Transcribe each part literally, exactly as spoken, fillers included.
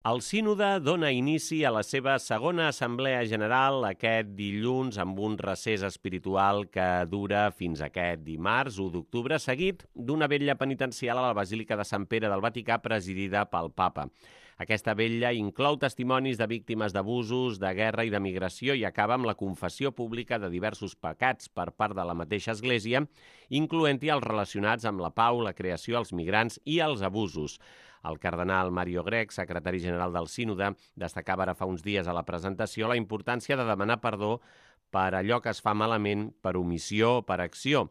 El sínode dona inici a la seva segona assemblea general aquest dilluns amb un recés espiritual que dura fins aquest dimarts, u d'octubre, seguit d'una vetlla penitencial a la Basílica de Sant Pere del Vaticà presidida pel Papa. Aquesta vetlla inclou testimonis de víctimes d'abusos, de guerra i de migració i acaba amb la confessió pública de diversos pecats per part de la mateixa Església, incloent-hi els relacionats amb la pau, la creació, els migrants i els abusos. El cardenal Mario Grech, secretari general del Sínode, destacava ara fa uns dies a la presentació la importància de demanar perdó per allò que es fa malament, per omissió o per acció,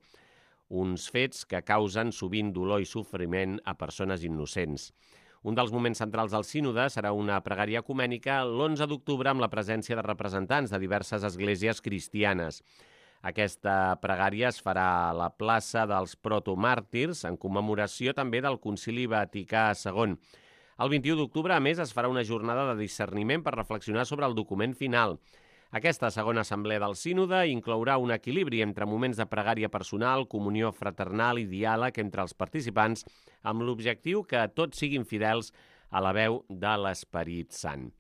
uns fets que causen sovint dolor i sofriment a persones innocents. Un dels moments centrals del sínode serà una pregària ecumènica l'onze d'octubre amb la presència de representants de diverses esglésies cristianes. Aquesta pregària es farà a la plaça dels protomàrtirs en commemoració també del Concili Vaticà segon. El vint-i-u d'octubre, a més, es farà una jornada de discerniment per reflexionar sobre el document final. Aquesta segona assemblea del sínode inclourà un equilibri entre moments de pregària personal, comunió fraternal i diàleg entre els participants amb l'objectiu que tots siguin fidels a la veu de l'Esperit Sant.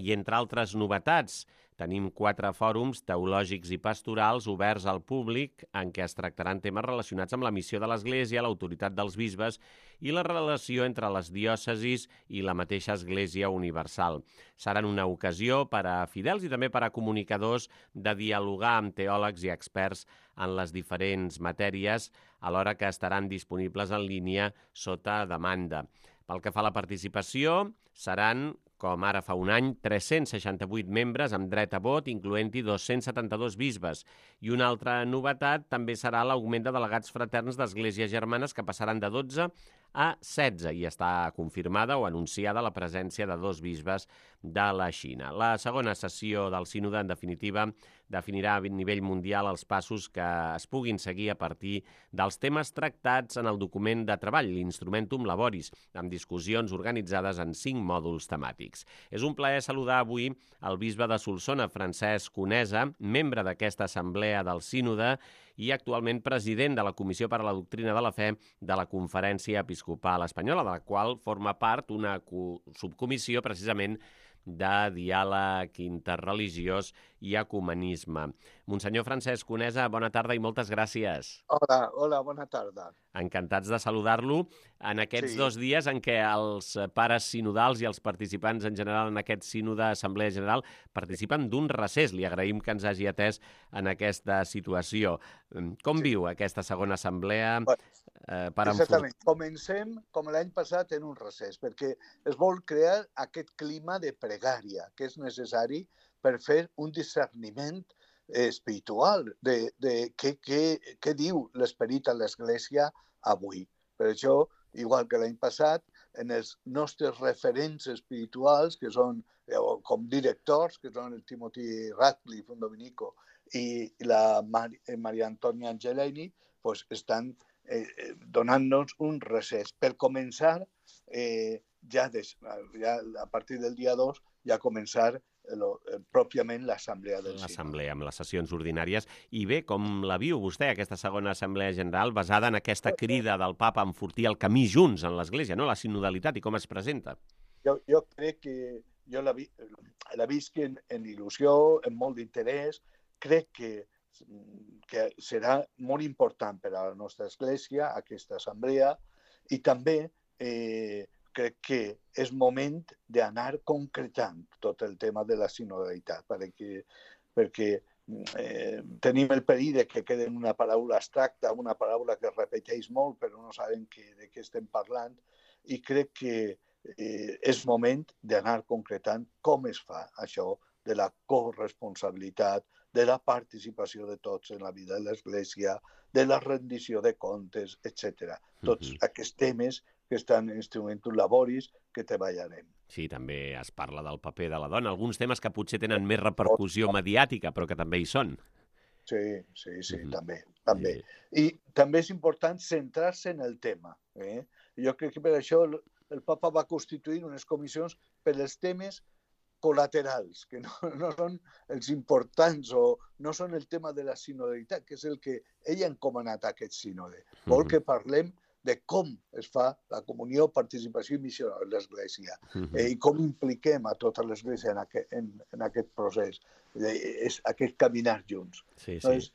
I entre altres novetats, tenim quatre fòrums teològics i pastorals oberts al públic en què es tractaran temes relacionats amb la missió de l'Església, l'autoritat dels bisbes i la relació entre les diòcesis i la mateixa Església Universal. Seran una ocasió per a fidels i també per a comunicadors de dialogar amb teòlegs i experts en les diferents matèries, alhora que estaran disponibles en línia sota demanda. Pel que fa a la participació, seran, com ara fa un any, tres-cents seixanta-vuit membres amb dret a vot, incloent-hi dos-cents setanta-dos bisbes. I una altra novetat també serà l'augment de delegats fraterns d'esglésies germanes que passaran de dotze a setze i està confirmada o anunciada la presència de dos bisbes de la Xina. La segona sessió del sínode, en definitiva, definirà a nivell mundial els passos que es puguin seguir a partir dels temes tractats en el document de treball, l'Instrumentum Laboris, amb discussions organitzades en cinc mòduls temàtics. És un plaer saludar avui el bisbe de Solsona, Francesc Conesa, membre d'aquesta assemblea del sínode i actualment president de la Comissió per a la Doctrina de la Fe de la Conferència Episcopal Espanyola, de la qual forma part una subcomissió precisament de diàleg interreligiós i ecumenisme. Monsenyor Francesc Conesa, bona tarda i moltes gràcies. Hola, hola, bona tarda. Encantats de saludar-lo en aquests sí. dos dies en què els pares sinodals i els participants en general en aquest sínode Assemblea General participen d'un recés. Li agraïm que ens hagi atès en aquesta situació. Com sí. viu aquesta segona assemblea? Bueno, eh, per exactament. Enfort... Comencem, com l'any passat, en un recés, perquè es vol crear aquest clima de pregària que és necessari per fer un discerniment espiritual de, de què, què, què diu l'esperit a l'Església avui. Per això, igual que l'any passat, en els nostres referents espirituals, que són com directors, que són el Timothy Radcliffe, un dominico, i la Mar Maria Antònia Angelini, pues, estan eh, donant-nos un recés. Per començar, eh, ja, des, ja a partir del dia dos, ja començar Lo, eh, pròpiament l'assemblea del sínode. L'assemblea, amb les sessions ordinàries. I bé, com la viu vostè, aquesta segona assemblea general, basada en aquesta crida del papa a enfortir el camí junts en l'Església, no? La sinodalitat i com es presenta? Jo, jo crec que jo la, vi, la visc en, en il·lusió, en molt d'interès. Crec que, que serà molt important per a la nostra Església, aquesta assemblea, i també eh, crec que és moment d'anar concretant tot el tema de la sinodalitat, perquè, perquè eh, tenim el perill de que quedi una paraula abstracta, una paraula que es repeteix molt, però no sabem que, de què estem parlant, i crec que eh, és moment d'anar concretant com es fa això de la corresponsabilitat, de la participació de tots en la vida de l'Església, de la rendició de comptes, etcètera. Tots mm-hmm. aquests temes que estan en Instrumentum Laboris, que treballarem. Sí, també es parla del paper de la dona, alguns temes que potser tenen més repercussió mediàtica, però que també hi són. Sí, sí, sí, mm-hmm. també. també. Sí. I també és important centrar-se en el tema. Eh? Jo crec que per això el, el papa va constituir unes comissions per als temes col·laterals, que no, no són els importants o no són el tema de la sinodalitat, que és el que ell ha encomanat a aquest sínode. Vol mm-hmm. que parlem de com es fa la comunió, participació i missió de l'Església Mhm. eh, i com impliquem a tota l'Església en, aquest, en, en aquest procés, eh, és aquest caminar junts. Sí, sí. Doncs,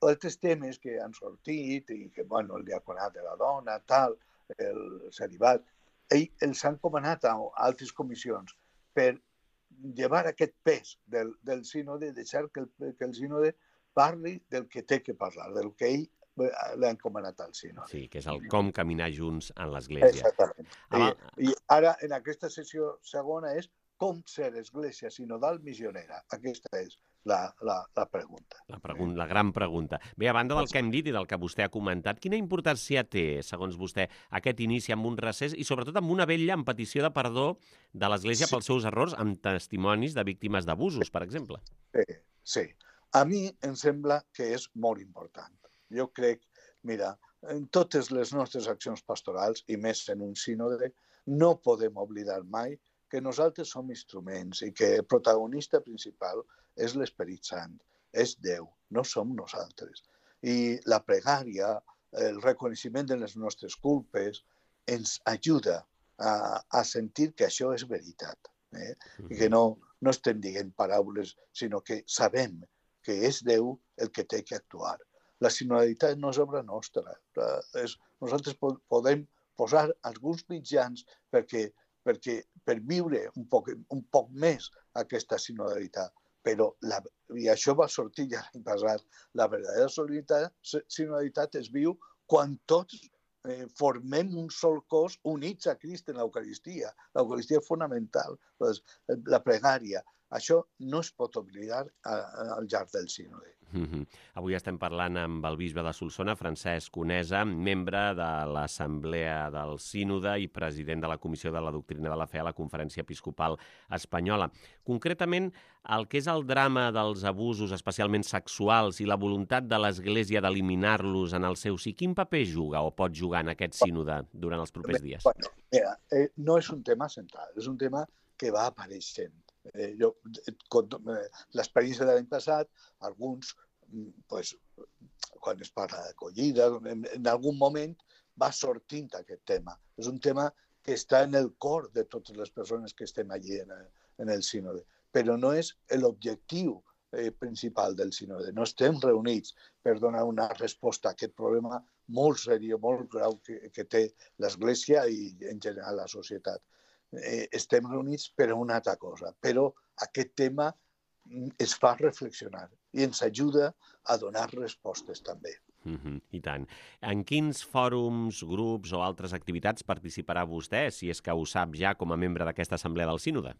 altres temes que han sortit, i que, bueno, el diaconat de la dona, tal, el celibat, ell els han comanat a altres comissions per llevar aquest pes del, del sínode, deixar que el, que el sínode parli del que té que parlar, del que ell l'ha encomanat al sínode. Sí, que és el com caminar junts en l'Església. Exactament. Abans... I, I ara, en aquesta sessió segona, és com ser església sinodal missionera. Aquesta és la, la, la pregunta. La, pregunta, la gran pregunta. Bé, a banda del que hem dit i del que vostè ha comentat, quina importància té, segons vostè, aquest inici amb un recés i sobretot amb una vetlla en petició de perdó de l'Església sí. pels seus errors amb testimonis de víctimes d'abusos, per exemple? Sí, sí. A mi em sembla que és molt important. Jo crec, mira, en totes les nostres accions pastorals, i més en un sínode, no podem oblidar mai que nosaltres som instruments i que el protagonista principal és l'Esperit Sant, és Déu, no som nosaltres. I la pregària, el reconeixement de les nostres culpes, ens ajuda a, a sentir que això és veritat. Eh? I que no, no estem dient paraules, sinó que sabem que és Déu el que té que actuar. La sinodalitat no és obra nostra. És, nosaltres podem posar alguns mitjans perquè, perquè, per viure un poc, un poc més aquesta sinodalitat. Però, la, i això va sortir ja l'any passat, la verdadera sinodalitat es viu quan tots eh, formem un sol cos units a Crist en l'Eucaristia. L'Eucaristia és fonamental. Doncs, la pregària, això no es pot oblidar al llarg del sínode. Mm-hmm. Avui estem parlant amb el bisbe de Solsona, Francesc Conesa, membre de l'Assemblea del Sínode i president de la Comissió de la Doctrina de la Fe a la Conferència Episcopal Espanyola. Concretament, el que és el drama dels abusos, especialment sexuals, i la voluntat de l'Església d'eliminar-los en el seu si, quin paper juga o pot jugar en aquest sínode durant els propers dies? Bueno, mira, eh, no és un tema central, és un tema que va apareixent. Eh, jo, eh, l'experiència de l'any passat, alguns, pues, quan es parla d'acollida, en, en algun moment va sortint aquest tema. És un tema que està en el cor de totes les persones que estem allí en el, en el sínode, però no és l'objectiu eh, principal del sínode. No estem reunits per donar una resposta a aquest problema molt seriós, molt greu que, que té l'Església i en general la societat. Eh, estem reunits per a una altra cosa, però aquest tema es fa reflexionar i ens ajuda a donar respostes també. Mm-hmm, I tant. En quins fòrums, grups o altres activitats participarà vostè, si és que ho sap ja com a membre d'aquesta Assemblea del Sínode?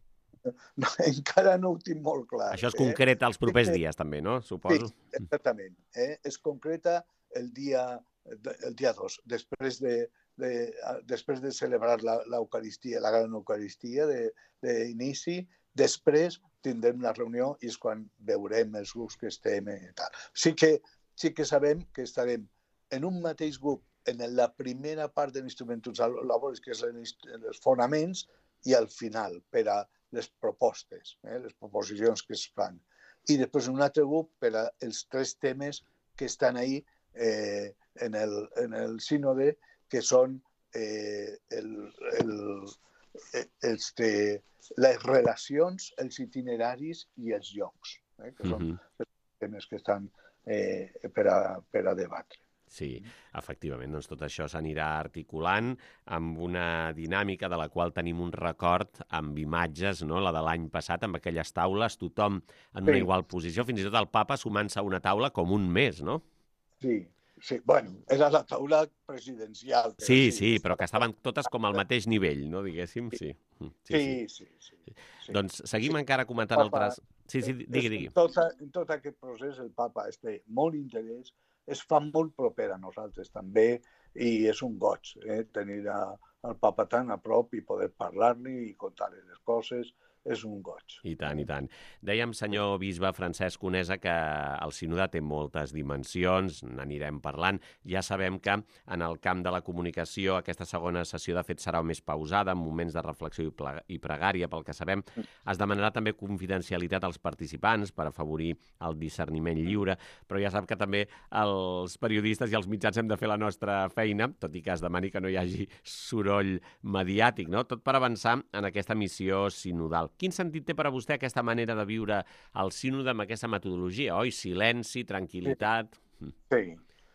No, encara no ho tinc molt clar. Això es concreta eh? els propers dies també, no? Suposo. Sí, exactament. Eh? Es concreta el dia, el dia dos, després de De, després de celebrar l'Eucaristia, la gran Eucaristia d'inici, després tindrem la reunió i és quan veurem els grups que estem i tal. Sí que, sí que sabem que estarem en un mateix grup en la primera part de l'Instrumentus Laboris, que és els fonaments, i al final per a les propostes, eh, les proposicions que es fan. I després un altre grup per als tres temes que estan ahí eh, en, el, en el sínode, que són eh, el, el, este, les relacions, els itineraris i els llocs, eh, que són mm-hmm. els temes que estan eh, per, a, per a debatre. Sí, efectivament, doncs tot això s'anirà articulant amb una dinàmica de la qual tenim un record amb imatges, no? La de l'any passat, amb aquelles taules, tothom en una sí. igual posició, fins i tot el papa sumant-se a una taula com un mes, no? Sí. Sí, bueno, era la taula presidencial. Però sí, sí, però que estaven totes com al mateix nivell, no, diguéssim? Sí, sí, sí. sí, sí, sí. Doncs seguim sí. encara comentant Papa, altres... Sí, sí, digui, digui. En tot, en tot aquest procés el papa es té molt interès, es fa molt proper a nosaltres també i és un goig eh, tenir a, el papa tan a prop i poder parlar-li i contar-li les coses. és un goig. I tant, i tant. Dèiem, senyor bisbe Francesc Conesa, que el sínode té moltes dimensions, n'anirem parlant. Ja sabem que en el camp de la comunicació aquesta segona sessió, de fet, serà més pausada, en moments de reflexió i pregària, pel que sabem. Es demanarà també confidencialitat als participants per afavorir el discerniment lliure, però ja sap que també els periodistes i els mitjans hem de fer la nostra feina, tot i que es demani que no hi hagi soroll mediàtic, no? Tot per avançar en aquesta missió sinodal. Quin sentit té per a vostè aquesta manera de viure el sínode amb aquesta metodologia, oi? Silenci, tranquil·litat... Sí,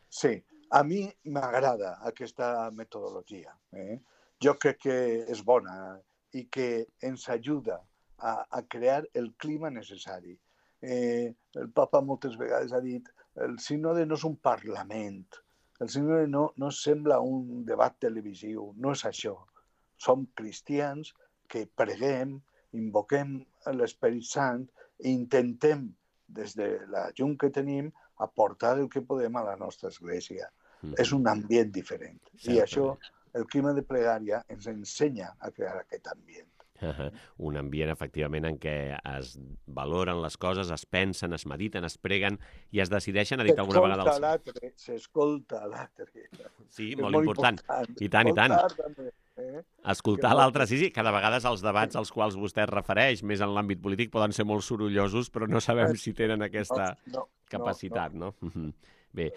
sí. A mi m'agrada aquesta metodologia. Eh? Jo crec que és bona i que ens ajuda a, a crear el clima necessari. Eh, el papa moltes vegades ha dit el sínode no és un parlament, el sínode no, no sembla un debat televisiu, no és això. Som cristians que preguem, invoquem l'Esperit Sant i intentem, des de la llum que tenim, aportar el que podem a la nostra església. Mm-hmm. És un ambient diferent. Certament. I això, el clima de pregària ens ensenya a crear aquest ambient. Uh-huh. Un ambient, efectivament, en què es valoren les coses, es pensen, es mediten, es preguen i es decideixen, ha dit alguna vegada... S'escolta l'altre, s'escolta l'altre. Sí, molt, molt important. important. I tant, i tant. També. Eh? Escoltar l'altre, sí, sí, que de vegades els debats als quals vostè es refereix, més en l'àmbit polític, poden ser molt sorollosos, però no sabem si tenen aquesta no, no, capacitat, no? no? Bé,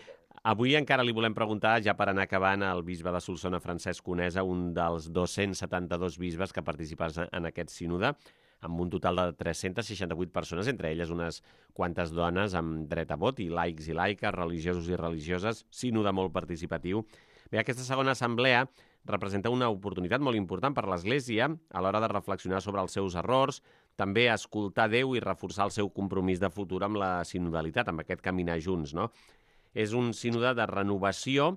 avui encara li volem preguntar, ja per anar acabant, al bisbe de Solsona, Francesc Conesa, un dels dos-cents setanta-dos bisbes que participen en aquest sínode, amb un total de tres-centes seixanta-vuit persones, entre elles unes quantes dones amb dret a vot, i laics i laiques, religiosos i religioses, sínode molt participatiu. Bé, aquesta segona assemblea representa una oportunitat molt important per l'Església a l'hora de reflexionar sobre els seus errors, també escoltar Déu i reforçar el seu compromís de futur amb la sinodalitat, amb aquest caminar junts, no? És un sínode de renovació,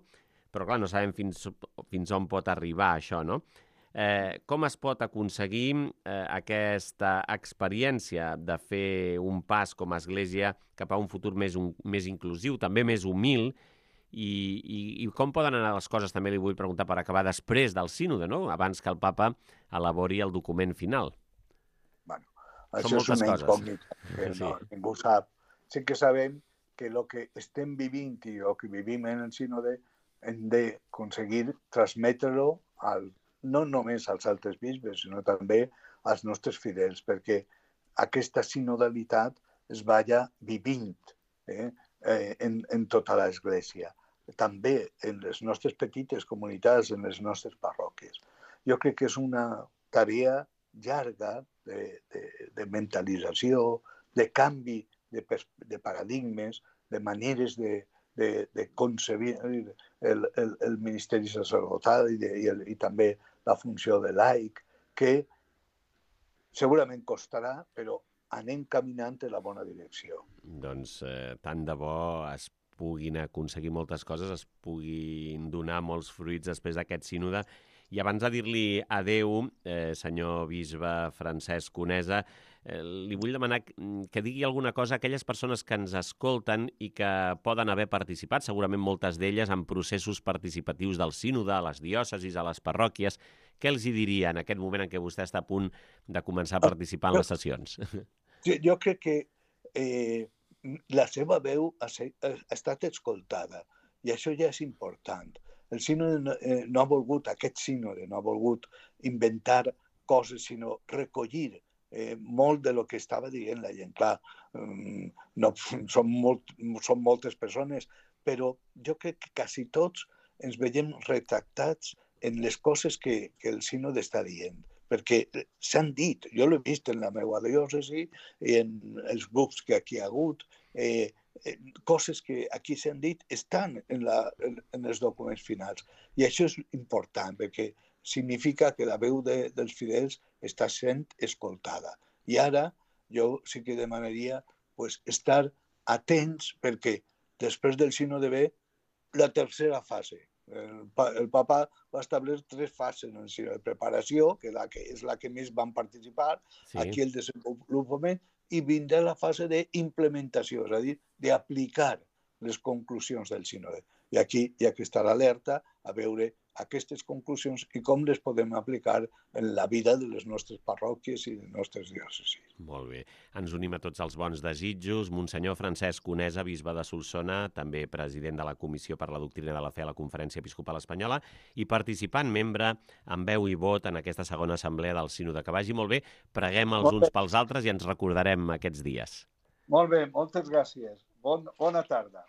però clar, no sabem fins, fins on pot arribar això, no? Eh, com es pot aconseguir eh, aquesta experiència de fer un pas com a Església cap a un futur més, un, més inclusiu, també més humil, I, i, i com poden anar les coses, també li vull preguntar per acabar, després del sínode, no? Abans que el papa elabori el document final. Bueno, això és una incògnita que sí. no, ningú sap. Sí que sabem que el que estem vivint i el que vivim en el sínode hem d'aconseguir transmetre-ho al, no només als altres bisbes, sinó també als nostres fidels, perquè aquesta sinodalitat es vaya vivint eh, eh, en, en tota l'Església. També en les nostres petites comunitats, en les nostres parròquies. Jo crec que és una tarea llarga de, de, de mentalització, de canvi de, de paradigmes, de maneres de, de, de concebir el, el, el ministeri sacerdotal i, de, i, el, i també la funció de laic, que segurament costarà, però anem caminant en la bona direcció. Doncs eh, tant de bo es puguin aconseguir moltes coses, es puguin donar molts fruits després d'aquest sínode. I abans de dir-li adeu, eh, senyor bisbe Francesc Conesa, eh, li vull demanar que digui alguna cosa a aquelles persones que ens escolten i que poden haver participat, segurament moltes d'elles, en processos participatius del sínode, a les diòcesis, a les parròquies. Què els hi diria en aquest moment en què vostè està a punt de començar a participar en les sessions? Jo crec que eh, la seva veu ha, ha estat escoltada i això ja és important. El sínode no, eh, no ha volgut, aquest sínode no ha volgut inventar coses, sinó recollir eh, molt de lo que estava dient la gent. Clar, no, són, molt, són moltes persones, però jo crec que quasi tots ens veiem retractats en les coses que, que el sínode està dient. Perquè s'han dit, jo l'he vist en la meva diòcesi i en els grups que aquí hi ha hagut, eh, eh, coses que aquí s'han dit estan en, la, en, en els documents finals. I això és important, perquè significa que la veu de, dels fidels està sent escoltada. I ara jo sí que demanaria pues, estar atents, perquè després del sínode ve la tercera fase. El, el papa va establir tres fases en el sínode de preparació, que, la que és la que més van participar, sí. Aquí el desenvolupament, i vindrà la fase d'implementació, és a dir, d'aplicar les conclusions del sínode. I aquí hi ha que estar alerta a veure aquestes conclusions i com les podem aplicar en la vida de les nostres parròquies i de les nostres diòcesis. Molt bé. Ens unim a tots els bons desitjos. Monsenyor Francesc Conesa, bisbe de Solsona, també president de la Comissió per la Doctrina de la Fe a la Conferència Episcopal Espanyola i participant membre amb veu i vot en aquesta segona assemblea del Sínode. Que vagi molt bé. Preguem els uns pels altres i ens recordarem aquests dies. Molt bé, moltes gràcies. Bon, bona tarda.